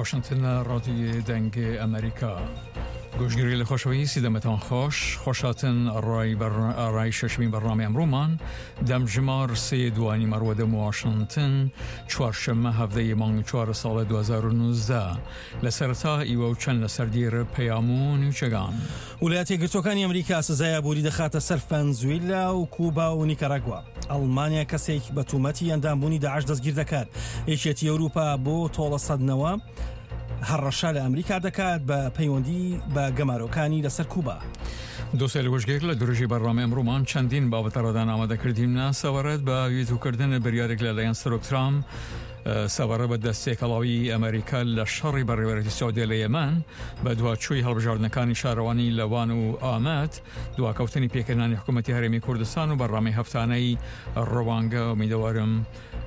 واشنتن رادیوی دەنگ ئەمریکا. گۆشگیری لە خۆشەویستی دەمتان خۆش خۆشاتن ئەڕای ئەڕای شەشمین بەرنامەی ئەمڕۆمان دەمژمار سێ دوانی مەڕوە دەم واشنتن چوارشەممە هەڤدەی مانگ چوار ساڵ 2019 لە سەرەتا ئیوە و چەند لەسەر دیر پەیام و نیوچەگان. ولایەتە یەکگرتووەکانی ئەمریکا سزای ئابووری دەخاتە سەر فەنزویلا و کوبا و نیکاراگوا. ئەڵمانیا کەسێک بە تومەتی ئەندامبوونی داعش دەستگیر دەکات. یەکێتی ئەوروپا بۆ تۆڵەسەندنەوە هەڕەشە لە ئەمریکا دەکات بە پەیوەندی بە گەمارۆکانی لەسەر کوبا. دۆسێ لەوەشگێک لە درژی بەرنامەی ئەمڕۆمان چەندین بابەتە ڕادان ئامادەکردیمنە سەبارەت بە ویتوکردن بریارێک لەلایەن سەرۆک ترامپ سەبارەت بە دەست تێکەڵاویی ئەمریکا لە شەڕی بەڕێوەبەرێتی سعودیە لە یەمەن، بەدواچووی هەڵبژاردنەکانی شارەوانی لە وان و ئامەد، دواکەوتنی پێکهێنانی حکوومەتی هەرێمی کوردستان و بەرنامەی هەفتانەی ڕوانگە. ئومیدەوارم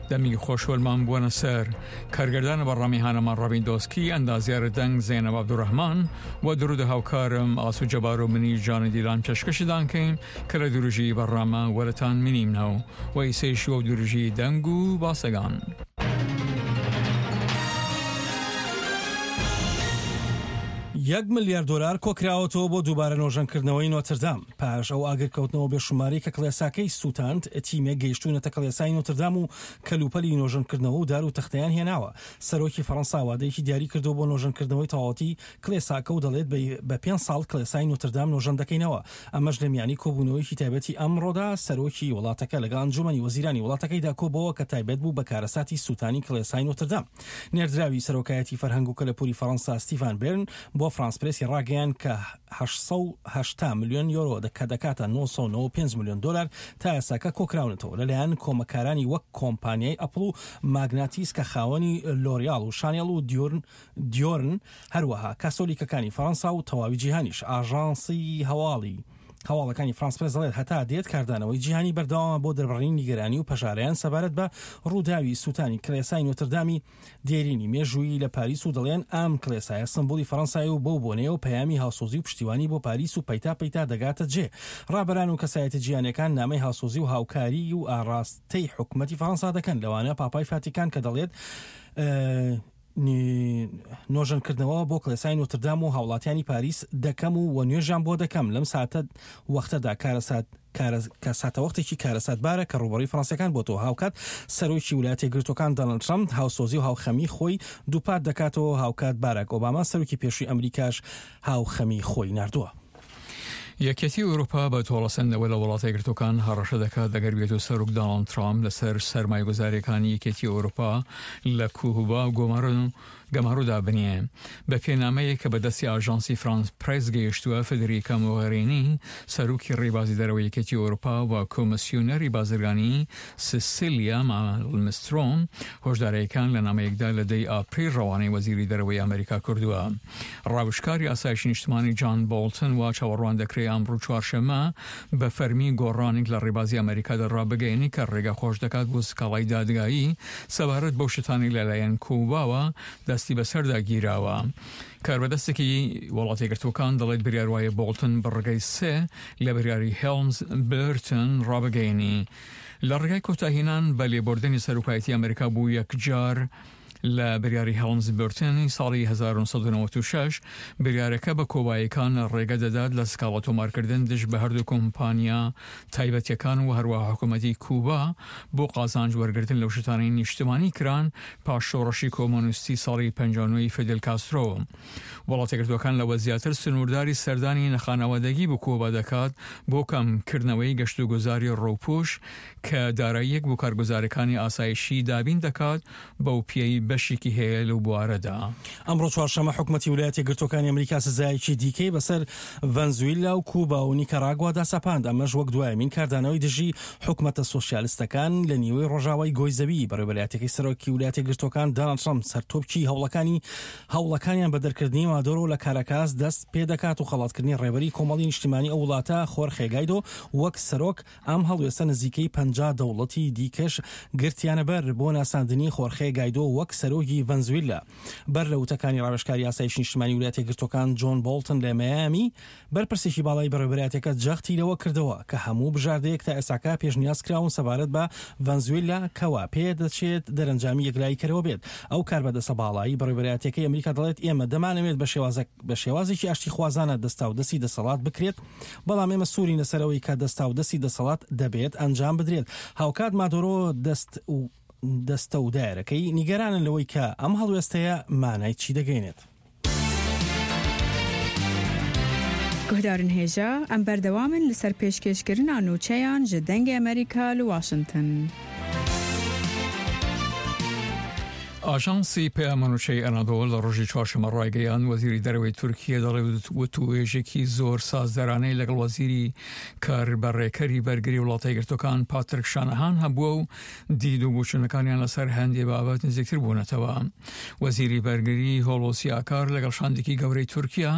دەمی خۆش وەلمان بووەنە سەر کارگردان بەڕامی هانەمان ڕابین دۆسکی، ئەندازیار دەنگ زەینەب عەبدولڕەحمان و درودە هاوکارم ئاسو جەبار و منیش جانی دیلان پێشکەشتان کەین کە لە دروژی بەڕامە وەرەتان منیمنەو و ئیسەیش وەو دروژی دەنگ و باسەگان. یەک ملیار دۆلار کۆکراوەتەوە بۆ دووبارە نۆژەنکردنەوەی نۆتردام. پاش ئەو ئاگرکەوتنەوە بێشومارەی کە کڵێساکەی سووتاند، تیمێک گەیشتوونەتە کڵێسای نۆتردام و کەلوپەلی نۆژەنکردنەوە و دار و تەختەیان هێناوە. سەرۆکی فەڕەنسا وادەیەکی دیاری کردووە بۆ نۆژەنکردنەوەی تەواوەتی کڵێساکە و دەڵێت بە پێنج ساڵ کڵێسای نۆتردام نۆژەن دەکەینەوە. ئەمەش لە میانی کۆبوونەوەیەکی تایبەتی ئەمڕۆدا سەرۆکی وڵاتەکە لەگەڵ ئەنجوومەنی وەزیرانی وڵاتەکەیدا کۆبۆوە کە تایبەت بوو بە کارەساتی سووتانی کڵێسای نۆتردام. نێردراوی سەرۆکایەتی فەرهەنگ و کەلەپووری فەڕەنسا ستیڤان بێرن بۆ فرانس پرێسی ڕاگەیاند کە 880 ملیۆن یۆرۆ کە دەکاتە 995 ملیۆن دۆلار تا ئێستاکە کۆکراونەتەوە لەلایەن کۆمەککارانی وەک کۆمپانیای ئەپڵ و ماگناتیس کە خاوەنی لۆریاڵ و شانێڵ و دیۆرن هەروەها کاسۆلیکەکانی فەرەنسا و تەواوی جیهانیش. ئاژانسی هەواڵی هەواڵەکانی فرانس پرێس دەڵێت هەتا دێت کاردانەوەی جیهانی بەردەوامە بۆ دەربڕینی نیگەرانی و پەژارەیان سەبارەت بە ڕووداوی سووتانی کڵێسای نۆتردامی دێرینی مێژوویی لە پاریس و دەڵێن ئەم کڵێسایە سمبولی فەرەنسایە و بەو بۆنەیەوە پەیامی هاوسۆزی و پشتیوانی بۆ پاریس و پەیتا پەیتا دەگاتە جێ ڕابەران و کەسایەتە جیهانیەکان نامەی هاوسۆزی و هاوکاری و ئاڕاستەی حکومەتی فەرەنسا دەکەن لەوانە پاپای فاتیکان کە دەڵێت نۆژەنکردنەوە بۆ کڵێسای نۆتردام و هاوڵاتیانی پاریس دەکەم و وە نوێژیان بۆ دەکەم لەم ساتە وەختەدا کارەسات کە ساتەوەختێکی کارەساتبارە کە ڕووبەڕووی فەرەنسیەکان بۆتەوە هاوکات سەرۆکی ولایەتە یەکگرتووەکان دانڵد ترەمپ هاوسۆزی و هاوخەمی خۆی دووپات دەکاتەوە هاوکات باراک ئۆباما سەرۆکی پێشووی ئەمریکاش هاوخەمی خۆی ناردووە. یەکێتی ئەوروپا بە تۆڵەسەندنەوە لە وڵاتە یەکگرتووەکان هەڕەشە دەکات ئەگەر بێت و سەرۆک دانڵد ترامپ لەسەر سەرمایەگوزارییەکانی یەکێتی ئەوروپا لە کوبا گەمارۆدا بنێ. بە پێ نامەیەک کە بە دەستی ئاژانسی فرانس پرێس گەیشتووە، فدریکا مۆغێرینی سەرۆکی ڕێبازی دەرەوەی یەکێتی ئەوروپا و کۆمسیۆنەری بازرگانی سیسیلیا مالمسترۆم هۆشدارەیەکان لە نامەیەکدا لە دەی ئاپریل ڕەوانەی وەزیری دەرەوەی ئەمریکا کردووە. ڕاوێژکاری ئاسایشی نیشتمانی جان بۆڵتن وا چاوەڕوان دەکرێ ئەمڕۆ چوارشەممە بە فەرمی گۆڕانێک لە ڕێبازی ئەمەریکادا ڕابگەیەنێ کە ڕێگا خۆش دەکات بۆ سکاڵای دادگایی سەبارەت بەو شتانەی لەلایەن کوباوە دەستی بەسەردا گیراوە. کاربەدەستێکی وڵاتە یەکگرتووەکان دەڵێت بریار وایە بۆڵتن بڕگەی سێ لە بریاری هێڵمز برتن ڕابگەیەنی لە ڕێگای کۆتاهینان بە لێبوردنی سەرۆکایەتی ئەمەریکا بۆ یەکجار لە بریاری هێڵمز برتن ساڵی 1996، بریارەکە بە کۆبایەکان ڕێگە دەدات لە سکاڵا تۆمارکردن دژ بە هەردوو کۆمپانیا تایبەتیەکان و هەروەها حکوومەتی کوبا بۆ قازانج وەرگرتن لەو شتانەی نیشتمانی کران پاش شۆڕشی کۆمۆنیستی ساڵی 59 ی فیدل کاسترۆ. وڵاتەیەکگرتووەکان لەوە زیاتر سنوورداری سەردانی نەخانەوادەگی بۆ کوبا دەکات بۆ کەمکردنەوەی گەشتوگوزاری ڕووپوش کە داراییەک بۆ کارگوزارەکانی ئاسایشی دابین دەکات بەو پێیەی بەشێکی هەیە لەو بوارەدا. ئەمڕۆ چوارشەممە حکومەتی ولایەتە یەکگرتووەکانی ئەمریکا سزایەکی دیکەی بەسەر ڤەنزویلا و کوبا و نیکاراگوادا سەپاند، ئەمەش وەک دوایەمین کاردانەوەی دژی حکومەتە سۆسیالستەکان لە نیوەی ڕۆژاوای گۆی زەوی. بەڕێوەبەرایەتیەکەی سەرۆکی ولایەتە یەکگرتووەکان داناڵد ترەمپ سەرتۆپکی هەوڵەکانی هەوڵەکانیان بە دەرکردنی مادۆرۆ لە کاراکاس دەست پێدەکات و خەڵاتکردنی ڕێبەری کۆمەڵی نیشتیمانی ئەو وڵاتە خۆرخێ گایدۆ وەک سەرۆک ئەم هەڵوێستە نزیکەی 50 دەوڵەتی دیکەش گرتیانە بەر بۆ ناساندنی خۆرخێ گایدۆ وەک. سەرۆکی ڤەنزویلا. بەر لە وتەکانی ڕاوێژکاری ئاسایشی نیشتمانی ویلایەتە یەکگرتووەکان جۆن بۆڵتن لە مەیامی، بەرپرسێکی باڵای بەڕێوەبەرایەتیەکە جەختی لەوە کردەوە کە هەموو بژاردەیەک تا ئێستاکە پێشنیاز کراون سەبارەت بە ڤەنزوێلا کەوا پێدەچێت دەرەنجامی یەکلاییکەرەوە بێت. ئەو کاربەدەستە باڵای بەڕێوەبەرایەتیەکەی ئەمریکا دەڵێت ئێمە دەمانەوێت بە شێوازە بە شێوازێکی ئاشتیخوازانە دەستاودەستی دەسەڵات بکرێت، بەڵام ئێمە سوورین لەسەر ئەوەی کە دەستاودەستی دەسەڵات دەبێت ئەنجام بدرێت. هاوکات مادۆرۆ دەست دەستە و دایرەکەی نیگەرانن لەوەی کە ئەم هەڵوێستەیە مانای چی دەگەینێت. Guhdarên hêja, em berdewam in li ser pêşkêşkirina nûçeyan ji Dengê Amerîka li Washington. ئاژانسی پەیامەنوچەی ئەنادۆڵ لە ڕۆژی چوارشەممە ڕایگەیاند، وەزیری دەرەوەی تورکیە دەڵێ وتووێژێکی زۆر سازدەرانەی لەگەڵ وەزیری کاربەڕێکەری بەرگری وڵاتە یەکگرتووەکان پاترک شانەهان هەبووە و دید و بۆچوونەکانیان لەسەر هەندێ بابەت نزیکتر بوونەتەوە. وەزیری بەرگری هۆڵۆسی ئاکار لەگەڵ شاندێکی گەورەی تورکیا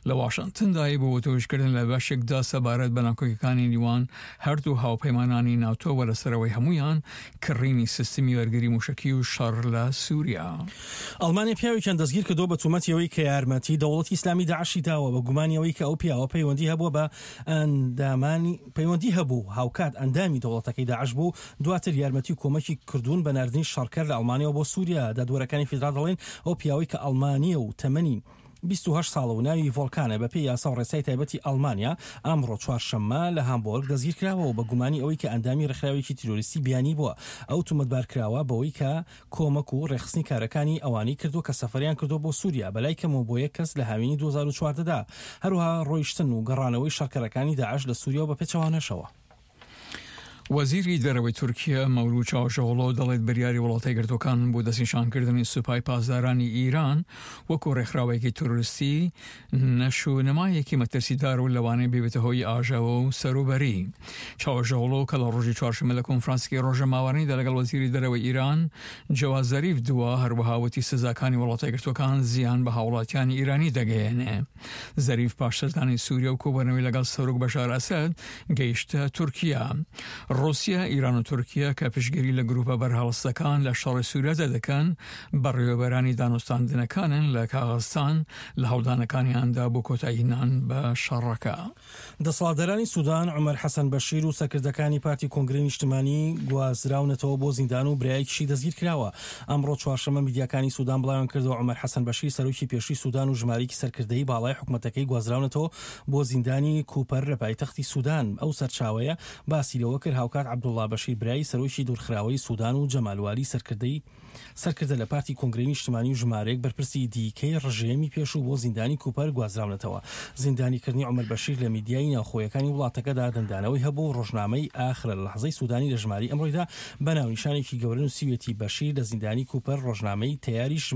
لە واشنتندای بۆ وتووێژکردن لە بەشێکدا سەبارەت بە ناکۆکیەکانی نیوان هەردوو هاوپەیمانانی ناتۆ و لەسەرەوەی هەموویان کڕینی سیستمی بەرگری موشەکی و شەڕ لە سوریا. ئەڵمانیا پیاوێکیان دەستگیرکردووە بە تومەتی ئەوەی کە یارمەتی دەوڵەتی ئیسلامی داعشی داوە بە گومانی ئەوەی کە ئەو پیاوە پەیوەندی هەبووە بە ئەندامانی پەیوەندی هەبوو و هاوکات ئەندامی دەوڵەتەکەی داعش بوو و دواتر یارمەتی و کۆمەکی کردوون بە ناردنی شەڕکەر لە ئەڵمانیاوە بۆ سوریا. دادوەرەکانی فیدراڵ دەڵێن ئەو پیاوەی کە ئەڵمانییە و تەمەنی 28 ساڵە و ناوی ڤۆڵکانە بەپێی یاسا و ڕێسای تایبەتی ئەڵمانیا ئەمڕۆ چوارشەممە لە هامبۆرگ دەستگیرکراوە و بە گومانی ئەوەی کە ئەندامی ڕێکخراوێکی تیرۆریستی بیانی بووە ئەو تومەتبارکراوە بەوەی کە کۆمەک و ڕێکخستنی کارەکانی ئەوانەی کردووە کە سەفەریان کردووە بۆ سووریا بەلای کەمەوە بۆ یەک کەس لە هاوینی 2014 دا، هەروەها ڕۆیشتن و گەڕانەوەی شەڕکەرەکانی داعش لە سووریا و بە پێچەوانەشەوە. وەزیری دەرەوەی تورکیە مەولود چاوشئۆغلۆ دەڵێت بریاری وڵاتە یەکگرتووەکان بۆ دەستنیشانکردنی سوپای پاسدارانی ئیران وەکو ڕێکخراوێکی ترۆریستی نەشونمایەکی مەترسیدار و لەوانەیە ببێتە هۆی ئاژاوە و سەروبەری. چاوشئۆغلۆ کە لە ڕۆژی چوارشەممە لە کۆنفرانسێکی ڕۆژنامەوانیدا لەگەڵ وەزیری دەرەوەی ئیران جەواد زەریف دوا، هەروەها وتی سزاکانی وڵاتە یەکگرتووەکان زیان بە هاوڵاتیانی ئیرانی دەگەیەنێ. زەریف پاش سەردانی سووریا و کۆبوونەوەی لەگەڵ سەرۆک بەشار ئەسەد گەیشتە تورکیا. ڕووسیا، ئیران و تورکیا کە پشتگیری لە گرووپە بەرهەڵستەکان لە شەڕی سووریادا دەکەن، بەڕێوەبەرانی دانوستاندنەکانن لە کاغەزستان لە هەوڵدانەکانیاندا بۆ کۆتاییهێنان بە شەڕەکە. دەسەڵاتدارانی سودان عومەر حەسەن بەشیر و سەرکردەکانی پارتی کۆنگرەی نیشتمانی گوازراونەتەوە بۆ زیندان و برایەکیشی دەستگیرکراوە. ئەمڕۆ چوارشەممە میدیاکانی سودان بڵاویانکردەوە عومەر حەسەن بەشیر سەرۆکی پێشووی سودان و ژمارەیەکی سەرکردەی باڵای حکومەتەکەی گوازراونەتەوە بۆ زیندانی کوپەر لە پایتەختی سودان. ئەو سەرچاوەیە باسی لەوە کرد هاوکات عەبدوڵڵا بەشیر برای سەرۆکی دوورخراوەی سودان و جەمال والی سەرکردەی سەرکردە لە پارتی کۆنگرەی نیشتمانی و ژمارەیەک بەرپرسی دیکەی ڕژێمی پێشوو بۆ زیندانی کوپەر گوازراونەتەوە. زیندانیکردنی عومەر بەشیر لە میدیای ناوخۆیەکانی وڵاتەکەدا دەنگدانەوەی هەبوو و ڕۆژنامەی ئاخرە لەحزەی سودانی لە ژمارەی ئەمڕۆیدا بە ناونیشانێکی گەورە نووسیویەتی بەشیر لە زیندانی کوپەر ڕۆژنامەی تەیاریش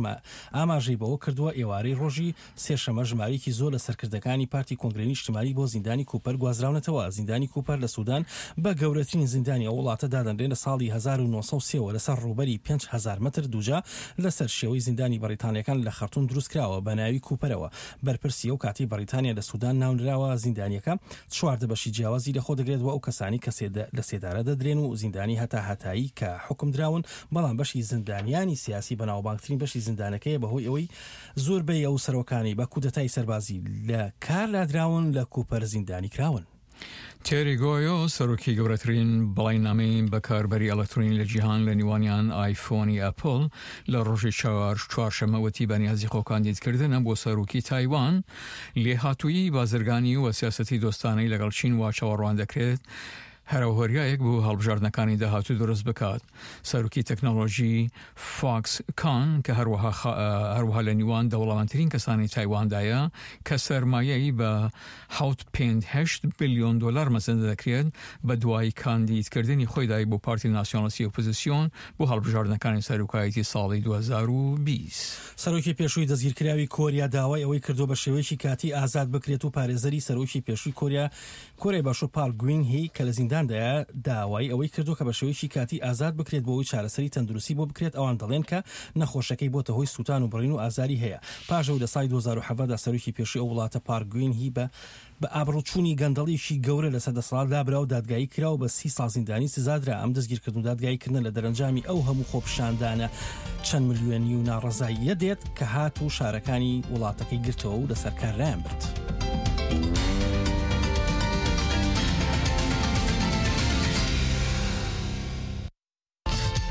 ئاماژەی بەوە کردووە ئێوارەی ڕۆژی سێشەممە ژمارەیەکی زۆر لە سەرکردەکانی پارتی کۆنگرەی نیشتمانی بۆ زیندانی کوپەر گوازراونەتەوە. زیندانی کوپەر لە سودان بە گەورەترین زیندانی ئەو وڵاتە دادەنرێت لە ساڵی 1903 وە لەسەر ڕووبەری 5000 مەتر دووجا لەسەر شێوەی زیندانی بەڕیتانیەکان لە خەرتوم دروستکراوە بە ناوی کوپەرەوە بەرپرسی ئەو کاتەی بەڕیتانیا لە سودان ناونراوە. زیندانیەکە 14 بەشی جیاوازی لەخۆ دەگرێت و ئەو کەسانەی کە لە سێدارە دەدرێن و زیندانی هەتاهەتایی کە حوکمدراون بەڵام بەشی زیندانیانی سیاسی بەناوبانگترین بەشی زیندانەکەیە بەهۆی ئەوەی زۆربەی ئەو سەرۆکانەی بە کودەتای سەربازی لە کار لادراون لە کوپەر زیندانی کراون. تێری گۆیۆ، سەرۆکی گەورەترین بەڵیننامەی بەکاربەری ئەلکترۆنی لە جیهان لە نیوانیان ئایفۆنی ئەپڵ لە ڕۆژی چوارشەممە وتی بەنیازی خۆکاندیدکردنە بۆ سەرۆکی تایوان لێهاتوویی بازرگانی و سیاسەتی دۆستانەی لەگەڵ چین وا چاوەڕوان دەکرێت هەرەوهۆریایەک بۆ هەڵبژاردنەکانی داهاتوو دروست بکات. سەرۆکی تەکنەلۆژی فاکس کان کە هەروەها هەروەها لە نیوان دەوڵەمەندترین کەسانی تایواندایە کە سەرمایەی بە 7.8 بلیۆن دۆلار مەزەندە دەکرێت بە دوای کاندیدکردنی خۆیدای بۆ پارتی ناسیۆنالیستی ئۆپۆزیسیۆن بۆ هەڵبژاردنەکانی سەرۆکایەتی ساڵی 2020. سەرۆکی پێشووی دەستگیرکراوی کۆریا داوای ئەوەی کردووە بە شێوەیەکی کاتی ئازاد بکرێت و پارێزەری سەرۆکی پێشووی کۆریا کۆریای باشوور پارک گوین هی کە لە زیندان. زینداندایە داوای ئەوەی کردووە کە بە شێوەیەکی کاتی ئازاد بکرێت بۆ ئەوەی چارەسەری تەندروستی بۆ بکرێت، ئەوان دەڵێن کە نەخۆشەکەی بۆتە هۆی سووتان و بڕین و ئازاری هەیە. پاش ئەوەی لە ساڵی 2017 دا سەرۆکی پێشووی ئەو وڵاتە پارک گوین هی بە بە ئابڕووچوونی گەندەڵیی گەورە لەسەر دەسەڵات لابرا و دادگایی کرا و بە سی ساڵ زیندانی سزادرا، ئەم دەستگیرکردن و دادگاییکردنە لە دەرەنجامی ئەو هەموو خۆپیشاندانە چەند ملیۆنی و ناڕەزاییە دێت کە هات و شارەکانی وڵاتەکەی گرتەوە و لەسەر کار لایان برد.